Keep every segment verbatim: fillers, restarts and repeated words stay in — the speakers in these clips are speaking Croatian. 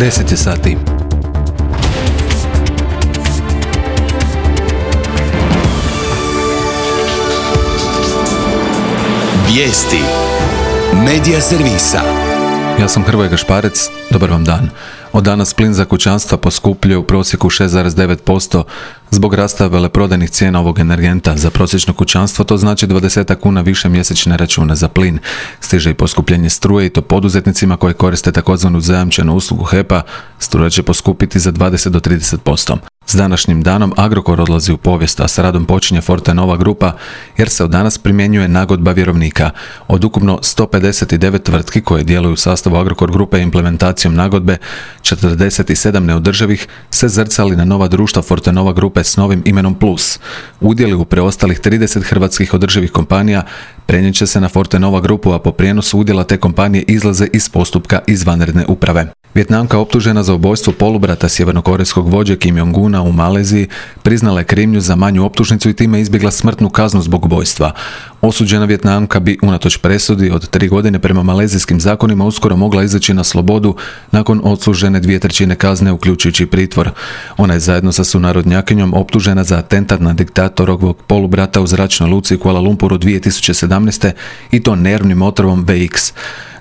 deset je sati. Vijesti Medija servisa. Ja sam Hrvoje Gašparec, dobar vam dan. Od danas plin za kućanstva poskupljuje u prosjeku šest zarez devet posto zbog rasta veleprodajnih cijena ovog energenta. Za prosječno kućanstvo to znači dvadeset kuna više mjesečne račune za plin. Stiže i poskupljenje struje i to poduzetnicima koji koriste takozvanu zajamčenu uslugu H E P-a. Struja će poskupiti za dvadeset do trideset posto. S današnjim danom Agrokor odlazi u povijest, a s radom počinje Fortenova grupa jer se od danas primjenjuje nagodba vjerovnika. Od ukupno sto pedeset devet tvrtki koje djeluju u sastavu Agrokor grupe implementacijom nagodbe, četrdeset sedam neodrživih se zrcali na nova društva Fortenova grupe s novim imenom Plus. Udjeli u preostalih trideset hrvatskih održivih kompanija prenijet će se na Fortenova grupu, a po prijenosu udjela te kompanije izlaze iz postupka izvanredne uprave. Vijetnamka optužena za ubojstvo polubrata sjevernokorejskog vođe Kim Jong-una u Maleziji priznala je krivnju za manju optužnicu i time izbjegla smrtnu kaznu zbog ubojstva. Osuđena Vijetnamka bi unatoč presudi od tri godine prema malezijskim zakonima uskoro mogla izaći na slobodu nakon odslužene dvije trećine kazne uključujući pritvor. Ona je zajedno sa sunarodnjakinjom optužena za atentat na diktatorovog polubrata u zračnoj luci u Kuala Lumpuru dvije tisuće sedamnaeste i to nervnim otrovom V X.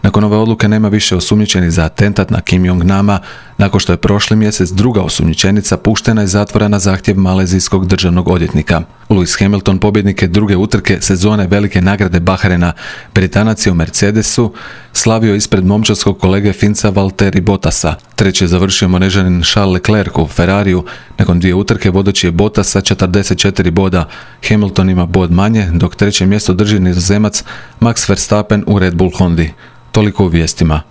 Nakon ove odluke nema više osumnjičenih za atentat na Kim Jong-nama, nakon što je prošli mjesec druga osumnjičenica puštena iz zatvora na zahtjev malezijskog državnog odvjetnika. Lewis Hamilton, pobjednik je druge utrke sezone velike nagrade Bahrena. Britanac je u Mercedesu slavio ispred momčadskog kolege Finca Valtteri Bottasa. Treći je završio Monežanin Charles Leclerc u Ferrariju. Nakon dvije utrke vodeći je Bottas sa četrdeset četiri boda. Hamilton ima bod manje, dok treće mjesto drži Nizozemac Max Verstappen u Red Bull Hondi. Toliko u vijestima.